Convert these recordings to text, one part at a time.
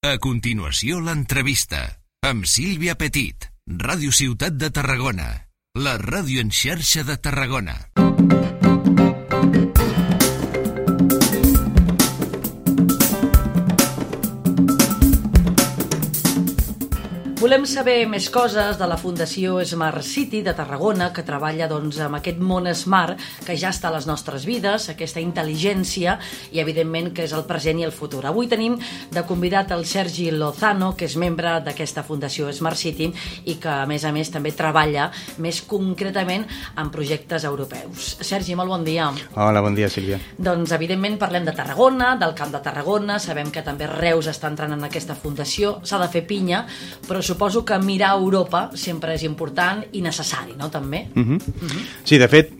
A continuació, l'entrevista amb Sílvia Petit, Ràdio Ciutat de Tarragona, la ràdio en xarxa de Tarragona. Volem saber més coses de la Fundació Smart City de Tarragona, que treballa amb aquest món smart que ja està a les nostres vides, aquesta intel·ligència i, evidentment, que és el present i el futur. Avui tenim de convidat el Sergi Lozano, que és membre d'aquesta Fundació Smart City i que, a més, també treballa més concretament en projectes europeus. Sergi, molt bon dia. Hola, bon dia, Sílvia. Doncs, evidentment, parlem de Tarragona, del Camp de Tarragona, sabem que també Reus està entrant en aquesta fundació, s'ha de fer pinya, però suposo que mirar a Europa sempre és important i necessari, no?, també? Sí, de fet,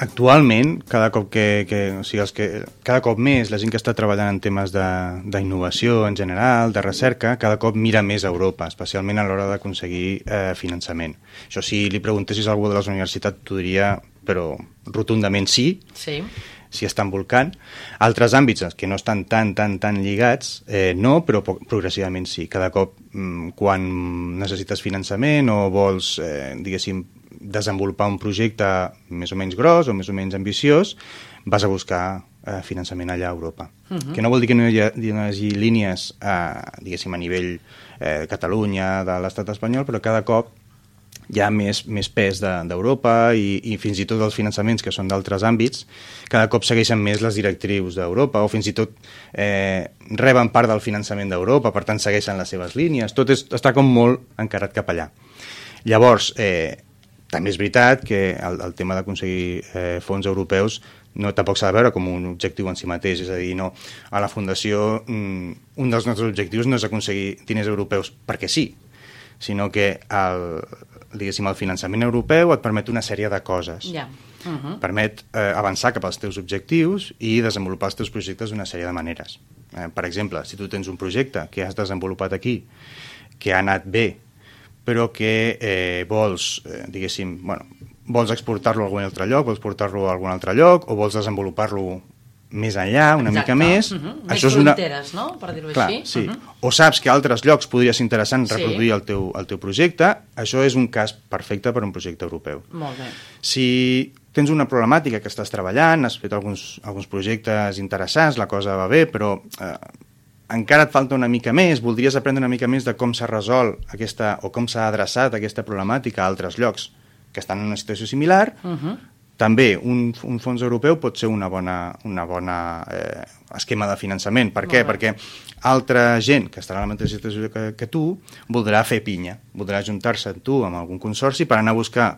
actualment, cada cop cada cop més la gent que està treballant en temes d'innovació en general, de recerca, cada cop mira més a Europa, especialment a l'hora d'aconseguir finançament. Això, si li preguntessis a algú de les universitats, t'ho diria, però rotundament sí. Sí. Si estan volcant. Altres àmbits que no estan tan lligats, no, però progressivament sí. Cada cop, quan necessites finançament o vols, diguéssim, desenvolupar un projecte més o menys gros o més o menys ambiciós, vas a buscar finançament allà a Europa. Que no vol dir que no hi hagi línies, diguéssim, a nivell Catalunya, de l'estat espanyol, però cada cop hi ha més pes d'Europa i fins i tot els finançaments que són d'altres àmbits cada cop segueixen més les directrius d'Europa o fins i tot reben part del finançament d'Europa, per tant segueixen les seves línies, tot està com molt encarat cap allà. Llavors, també és veritat que el tema d'aconseguir fons europeus tampoc s'ha de veure com un objectiu en si mateix, és a dir, no, a la Fundació un dels nostres objectius no és aconseguir diners europeus perquè sí, sinó que diguéssim, el finançament europeu et permet una sèrie de coses. Permet avançar cap als teus objectius i desenvolupar els teus projectes d'una sèrie de maneres. Per exemple, si tu tens un projecte que has desenvolupat aquí, que ha anat bé, però que vols, diguéssim, vols exportar-lo a algun altre lloc, vols portar-lo a algun altre lloc, o vols desenvolupar-lo més enllà, una mica més. Més fronteres, no?, per dir-ho així. Sí. O saps que a altres llocs podria ser interessant reproduir el teu projecte, això és un cas perfecte per a un projecte europeu. Molt bé. Si tens una problemàtica que estàs treballant, has fet alguns projectes interessants, la cosa va bé, però encara et falta una mica més, voldries aprendre una mica més de com s'ha resolt o com s'ha adreçat aquesta problemàtica a altres llocs que estan en una situació similar, també un fons europeu pot ser una bona esquema de finançament. Per què? Perquè altra gent que estarà en la mateixa situació que tu voldrà fer pinya, voldrà ajuntar-se amb tu amb algun consorci per anar a buscar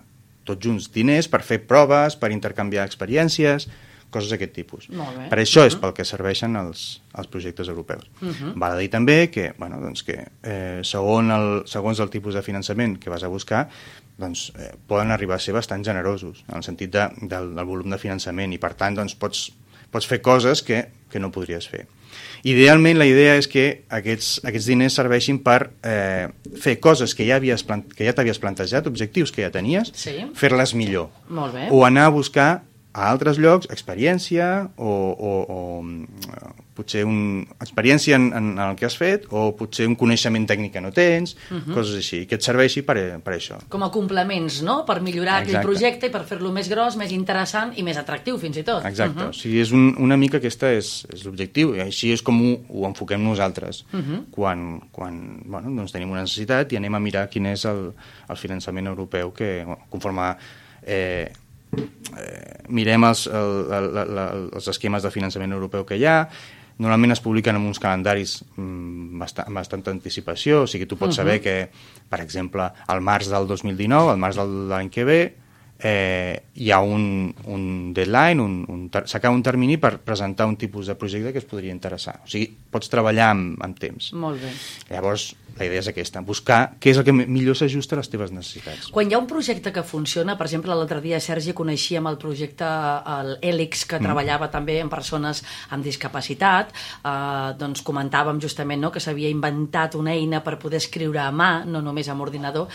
tots junts diners per fer proves, per intercanviar experiències, coses d'aquest tipus. Per això és pel que serveixen els projectes europeus. Val a dir també que, segons el tipus de finançament que vas a buscar, poden arribar a ser bastant generosos en el sentit del volum de finançament i per tant pots fer coses que no podries fer. Idealment la idea és que aquests diners serveixin per fer coses que ja t'havies plantejat, objectius que ja tenies, fer-les millor. O anar a buscar a altres llocs experiència o potser experiència en el que has fet o potser un coneixement tècnic que no tens, coses així, que et serveixi per això. Com a complements, no?, per millorar aquell projecte i per fer-lo més gros, més interessant i més atractiu, fins i tot. Exacte, o sigui, és una mica aquesta és l'objectiu, i així és com ho enfoquem nosaltres. Quan tenim una necessitat i anem a mirar quin és el finançament europeu que, conforme mirem els esquemes de finançament europeu que hi ha, normalment es publiquen en uns calendaris amb bastanta anticipació, o sigui, tu pots saber que, per exemple, al març del 2019, al març de l'any que ve, hi ha un deadline, s'acaba un termini per presentar un tipus de projecte que es podria interessar. O sigui, pots treballar amb temps. Molt bé. Llavors, la idea és aquesta, buscar què és el que millor s'ajusta a les teves necessitats. Quan hi ha un projecte que funciona, per exemple, l'altre dia, Sergi, coneixíem el projecte Hèlix, que treballava també amb persones amb discapacitat, doncs comentàvem justament que s'havia inventat una eina per poder escriure a mà, no només amb ordinador.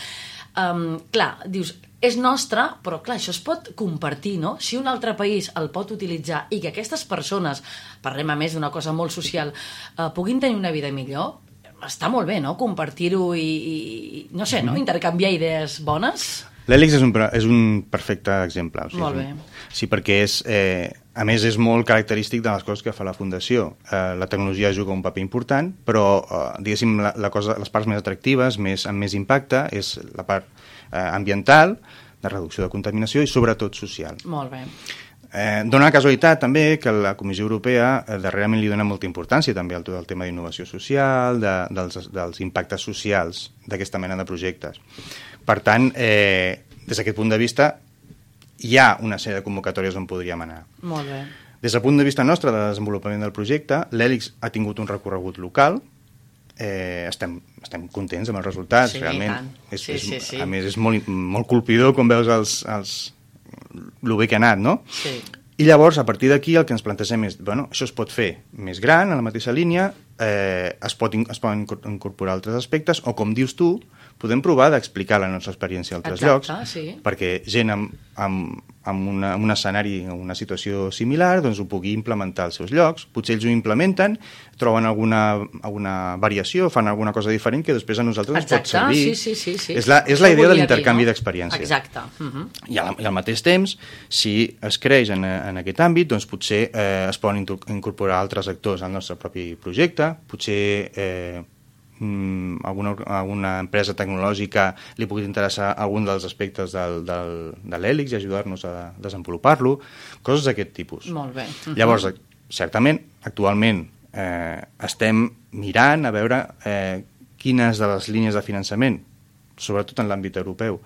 Clar, dius, és nostre, però clar, això es pot compartir, no? Si un altre país el pot utilitzar i que aquestes persones, parlem a més d'una cosa molt social, puguin tenir una vida millor, està molt bé, no?, compartir-ho i no sé, no?, intercanviar idees bones. L'Hèlix és un perfecte exemple. O sigui, molt bé. Sí, perquè a més és molt característic de les coses que fa la Fundació. La tecnologia juga un paper important, però diguéssim les parts més atractives, amb més impacte, és la part ambiental, de reducció de contaminació i sobretot social. Molt bé. Dóna la casualitat també que la Comissió Europea darrerament li dona molta importància també al tema d'innovació social, dels impactes socials d'aquesta mena de projectes. Per tant, des d'aquest punt de vista, hi ha una sèrie de convocatòries on podríem anar. Molt bé. Des del punt de vista nostre de desenvolupament del projecte, l'Hèlix ha tingut un recorregut local, estem contents amb els resultats, sí, realment. Sí. A més, és molt colpidor quan veus el bé que ha anat, no? Sí. I llavors, a partir d'aquí, el que ens plantegem és, això es pot fer més gran, a la mateixa línia, es poden incorporar altres aspectes, o com dius tu, podem provar d'explicar la nostra experiència a altres llocs, sí. perquè gent amb un escenari o una situació similar doncs ho pugui implementar als seus llocs. Potser ells ho implementen, troben alguna variació, fan alguna cosa diferent que després a nosaltres ens pot servir. Sí. És la idea de l'intercanvi d'experiència. Exacte. I al mateix temps, si es creix en aquest àmbit, doncs potser es poden incorporar altres actors al nostre propi projecte, potser alguna empresa tecnològica li pugui interessar algun dels aspectes de l'Hèlix i ajudar-nos a desenvolupar-lo, coses d'aquest tipus. Molt bé. Llavors, certament, actualment estem mirant a veure quines de les línies de finançament, sobretot en l'àmbit europeu,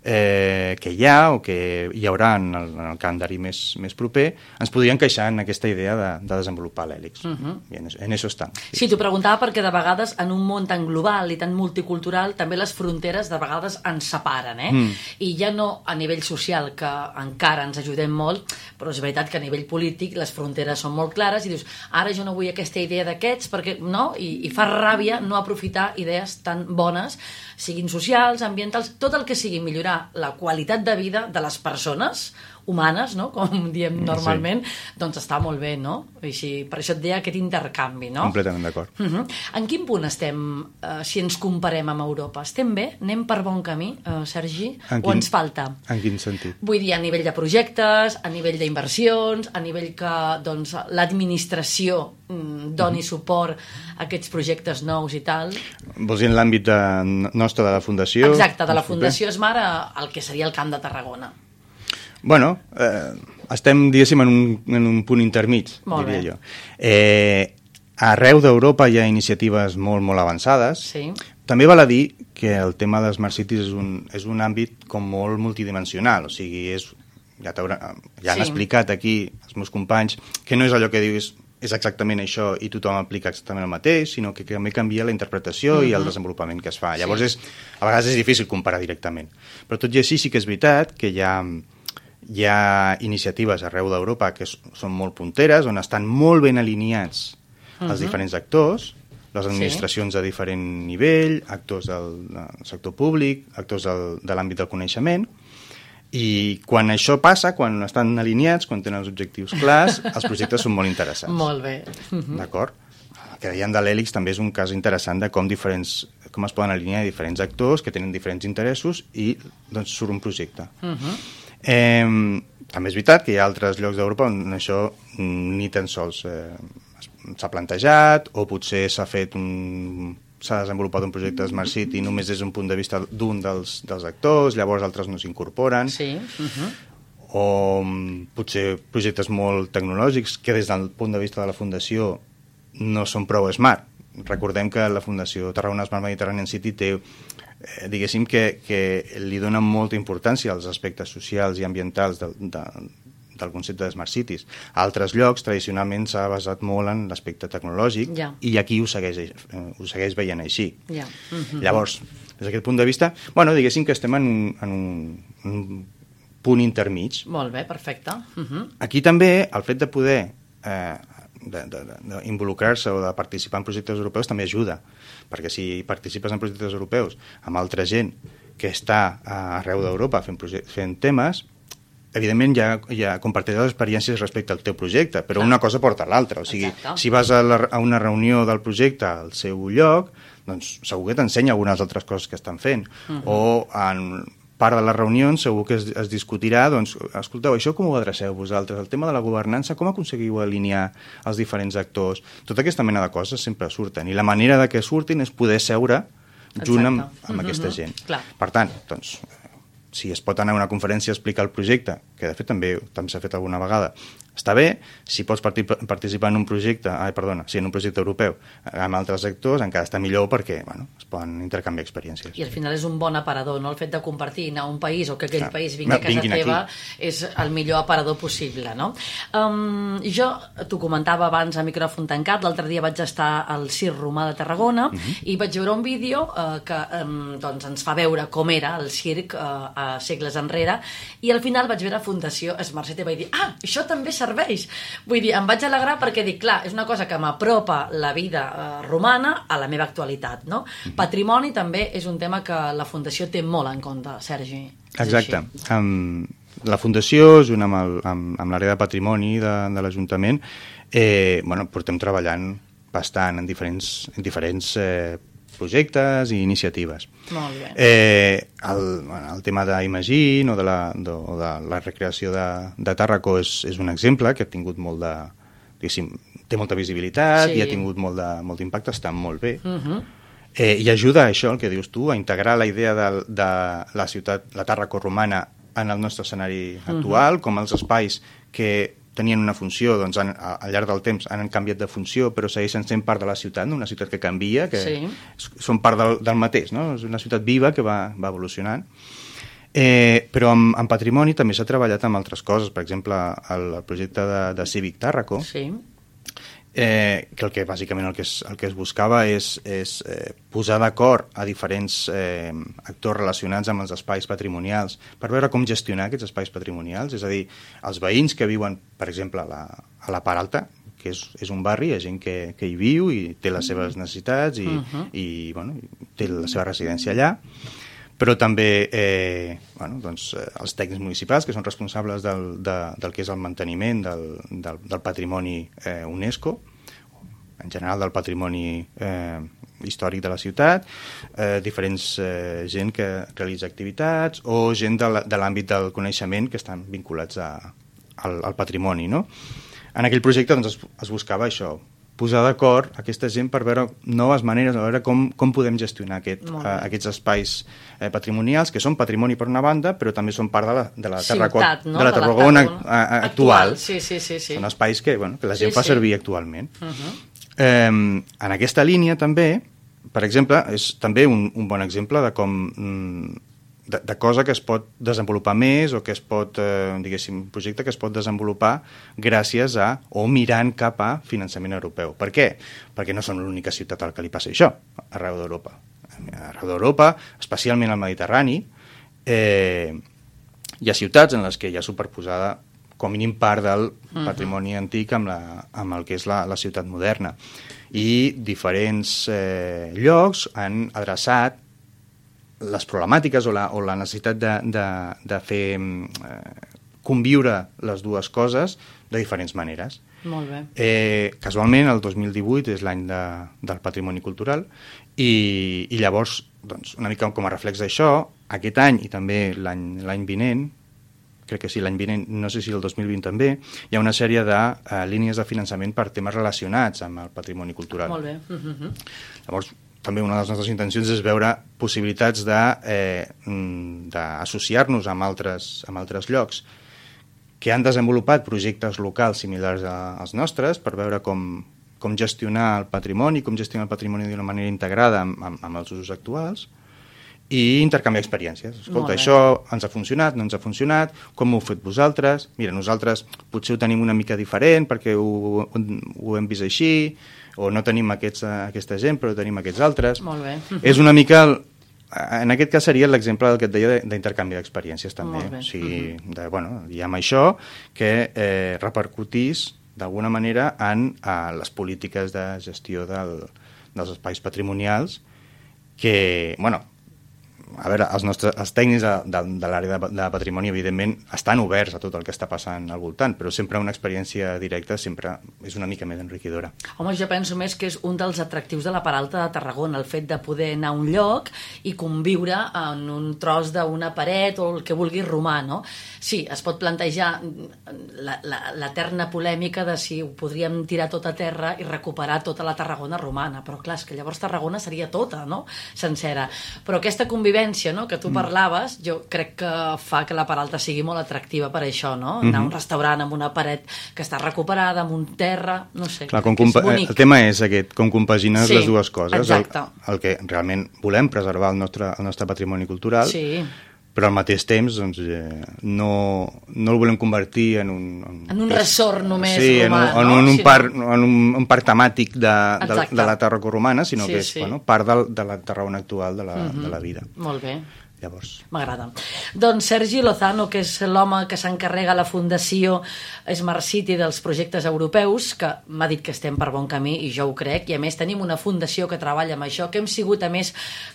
que hi ha o que hi haurà en el calendari més proper, ens podrien encaixar en aquesta idea de desenvolupar l'Hèlix. I en això estem. Sí, t'ho preguntava perquè de vegades en un món tan global i tan multicultural també les fronteres de vegades ens separen, I ja no a nivell social, que encara ens ajudem molt, però és veritat que a nivell polític les fronteres són molt clares i dius, ara jo no vull aquesta idea d'aquests, perquè no? I fa ràbia no aprofitar idees tan bones, siguin socials, ambientals, tot el que sigui millorar la qualitat de vida de les persones humanes, no? Com diem normalment, doncs està molt bé, no? Així, per això et deia aquest intercanvi, no? Completament d'acord. En quin punt estem, si ens comparem amb Europa? Estem bé? Anem per bon camí, Sergi? O ens falta? En quin sentit? Vull dir, a nivell de projectes, a nivell d'inversions, a nivell que doncs, l'administració doni suport a aquests projectes nous i tal. Vols dir en l'àmbit nostre de la Fundació? Exacte, de la Fundació Smart al que seria el Camp de Tarragona. Bueno, estem, diguéssim, en un punt intermig, diria jo. Arreu d'Europa hi ha iniciatives molt, molt avançades. Sí. També val a dir que el tema de Smart Cities és un àmbit com molt multidimensional, o sigui, ja han explicat aquí els meus companys que no és allò que dius és exactament això i tothom aplica exactament el mateix, sinó que també canvia la interpretació i el desenvolupament que es fa. Llavors, a vegades és difícil comparar directament. Però tot i així sí que és veritat que hi ha iniciatives arreu d'Europa que són molt punteres, on estan molt ben alineats els diferents actors, les administracions de diferent nivell, actors del sector públic, actors de l'àmbit del coneixement, i quan això passa, quan estan alineats, quan tenen els objectius clars, els projectes són molt interessants. Molt bé. D'acord? El que dèiem de l'Hèlix també és un cas interessant de com es poden alinear diferents actors que tenen diferents interessos i doncs surt un projecte. També és veritat que hi ha altres llocs d'Europa on això ni tan sols s'ha plantejat, o potser s'ha desenvolupat un projecte de Smart City només des d'un punt de vista d'un dels actors, llavors altres no s'incorporen. Sí. O potser projectes molt tecnològics que des del punt de vista de la Fundació no són prou smart. Recordem que la Fundació Tarragona Smart Mediterranean City té, diguéssim que li dona molta importància als aspectes socials i ambientals del concepte de Smart Cities. A altres llocs, tradicionalment, s'ha basat molt en l'aspecte tecnològic i aquí ho segueix veient així. Llavors, des d'aquest punt de vista, diguéssim que estem en un punt intermig. Molt bé, perfecte. Aquí també el fet de poder d'involucrar-se o de participar en projectes europeus també ajuda, perquè si participes en projectes europeus amb altra gent que està arreu d'Europa fent temes, evidentment ja compartiràs experiències respecte al teu projecte, però una cosa porta a l'altra. O sigui, si vas a una reunió del projecte al seu lloc, doncs segur que t'ensenya algunes altres coses que estan fent. O en part de les reunions segur que es discutirà, doncs, escolteu, això com ho adreceu vosaltres? El tema de la governança, com aconseguiu alinear els diferents actors? Tota aquesta mena de coses sempre surten, i la manera de que surtin és poder seure junt amb aquesta gent. Per tant, doncs, si es pot anar a una conferència a explicar el projecte, que de fet també s'ha fet alguna vegada, està bé. Si pots participar en un projecte, en un projecte europeu amb altres actors, encara està millor perquè es poden intercanviar experiències. I al final és un bon aparador, no? El fet de compartir, anar a un país o que aquell país vingui a casa teva és el millor aparador possible, no? Jo t'ho comentava abans a micròfon tancat, l'altre dia vaig estar al Circ Romà de Tarragona i vaig veure un vídeo que ens fa veure com era el circ a segles enrere, i al final vaig veure Fundació Smart City i vaig dir, això també serveix. Vull dir, em vaig alegrar perquè dic, clar, és una cosa que m'apropa la vida romana a la meva actualitat, no? Patrimoni també és un tema que la Fundació té molt en compte, Sergi. Exacte. La Fundació, junt amb l'àrea de patrimoni de l'Ajuntament, portem treballant bastant en diferents projectes i iniciatives. Molt bé. El tema d'Imagine o de la recreació de Tàrraco és un exemple que ha tingut molt de... té molta visibilitat i ha tingut molt d'impacte, està molt bé. I ajuda a això, el que dius tu, a integrar la idea de la ciutat, la Tàrraco romana, en el nostre escenari actual, com els espais que tenien una funció, doncs al llarg del temps han canviat de funció, però segueixen sent part de la ciutat, no? Una ciutat que canvia, que són part del mateix, no? És una ciutat viva que va evolucionant. Però en patrimoni també s'ha treballat amb altres coses, per exemple, el projecte de Cívic Tàrraco, que bàsicament el que es buscava és posar d'acord a diferents actors relacionats amb els espais patrimonials per veure com gestionar aquests espais patrimonials, és a dir, els veïns que viuen, per exemple, a la Part Alta, que és un barri, hi ha gent que hi viu i té les seves necessitats i té la seva residència allà, però també els tècnics municipals, que són responsables del que és el manteniment del patrimoni UNESCO, en general del patrimoni històric de la ciutat, diferents gent que realitza activitats o gent de l'àmbit del coneixement que estan vinculats al patrimoni, no? En aquell projecte es buscava això, posar d'acord aquesta gent per veure noves maneres, a veure com podem gestionar aquests espais patrimonials, que són patrimoni per una banda, però també són part de la Tarragona actual. Són espais que la gent fa servir actualment. En aquesta línia també, per exemple, és també un bon exemple de com de cosa que es pot desenvolupar més o que es pot, diguéssim, un projecte que es pot desenvolupar gràcies a o mirant cap a finançament europeu. Per què? Perquè no som l'única ciutat al que li passa això, arreu d'Europa. Arreu d'Europa, especialment al Mediterrani, hi ha ciutats en les que hi ha superposada com a mínim part del patrimoni antic amb el que és la ciutat moderna. I diferents llocs han adreçat les problemàtiques o la necessitat de fer conviure les dues coses de diferents maneres. Molt bé. Casualment, el 2018 és l'any del patrimoni cultural i llavors, una mica com a reflex d'això, aquest any i també l'any vinent, crec que sí, l'any vinent, no sé si el 2020 també, hi ha una sèrie de línies de finançament per temes relacionats amb el patrimoni cultural. Molt bé. Llavors, també una de les nostres intencions és veure possibilitats d'associar-nos amb altres llocs que han desenvolupat projectes locals similars als nostres per veure com gestionar el patrimoni, d'una manera integrada amb els usos actuals i intercanviar experiències. Escolta, això ens ha funcionat, no ens ha funcionat, com ho heu fet vosaltres? Mira, nosaltres potser ho tenim una mica diferent perquè ho hem vist així, o no tenim aquesta gent, però tenim aquests altres. Molt bé. És una mica... En aquest cas seria l'exemple del que et deia d'intercanvi d'experiències, també. Molt bé. O sigui, diguem això, que repercutís d'alguna manera en les polítiques de gestió dels espais patrimonials que, a veure, els tècnics de l'àrea de patrimoni, evidentment, estan oberts a tot el que està passant al voltant, però sempre una experiència directa sempre és una mica més enriquidora. Home, jo penso més que és un dels atractius de la Peralta de Tarragona, el fet de poder anar a un lloc i conviure en un tros d'una paret o el que vulguis romà, no? Sí, es pot plantejar l'eterna polèmica de si ho podríem tirar tot a terra i recuperar tota la Tarragona romana, però clar, és que llavors Tarragona seria tota, no?, sencera. Però aquesta convivència, no?, que tu parlaves, jo crec que fa que la Peralta sigui molt atractiva per això, no? Anar a un restaurant amb una paret que està recuperada, amb un terra, no sé. Clar, el tema és aquest, com compagines les dues coses. Exacte. El que realment volem preservar el nostre patrimoni cultural, sí, però al mateix temps doncs, no el volem convertir en un ressort només romà, no? En un parc temàtic de la Tarragona romana, sinó que és part de la Tarragona actual de la vida. Molt bé. Llavors. M'agrada. Doncs Sergi Lozano, que és l'home que s'encarrega a la Fundació Smart City dels projectes europeus, que m'ha dit que estem per bon camí, i jo ho crec, i a més tenim una fundació que treballa amb això, que hem sigut a més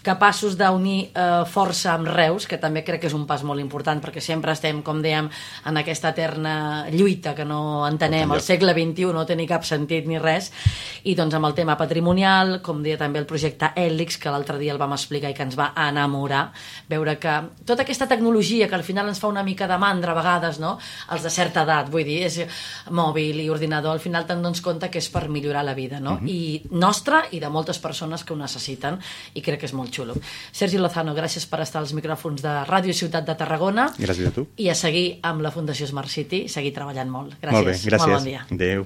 capaços d'unir força amb Reus, que també crec que és un pas molt important, perquè sempre estem, com dèiem, en aquesta eterna lluita que no entenem, al segle XXI no té ni cap sentit ni res, i doncs amb el tema patrimonial, com deia també el projecte Hèlix, que l'altre dia el vam explicar i que ens va enamorar, veure que tota aquesta tecnologia que al final ens fa una mica de mandra a vegades, no?, els de certa edat, vull dir, és mòbil i ordinador, al final te'n dones compte que és per millorar la vida, no? I nostra i de moltes persones que ho necessiten, i crec que és molt xulo. Sergi Lozano, gràcies per estar als micròfons de Ràdio Ciutat de Tarragona. Gràcies a tu. I a seguir amb la Fundació Smart City, seguir treballant molt. Gràcies. Molt bé, gràcies. Molt bon dia. Adéu.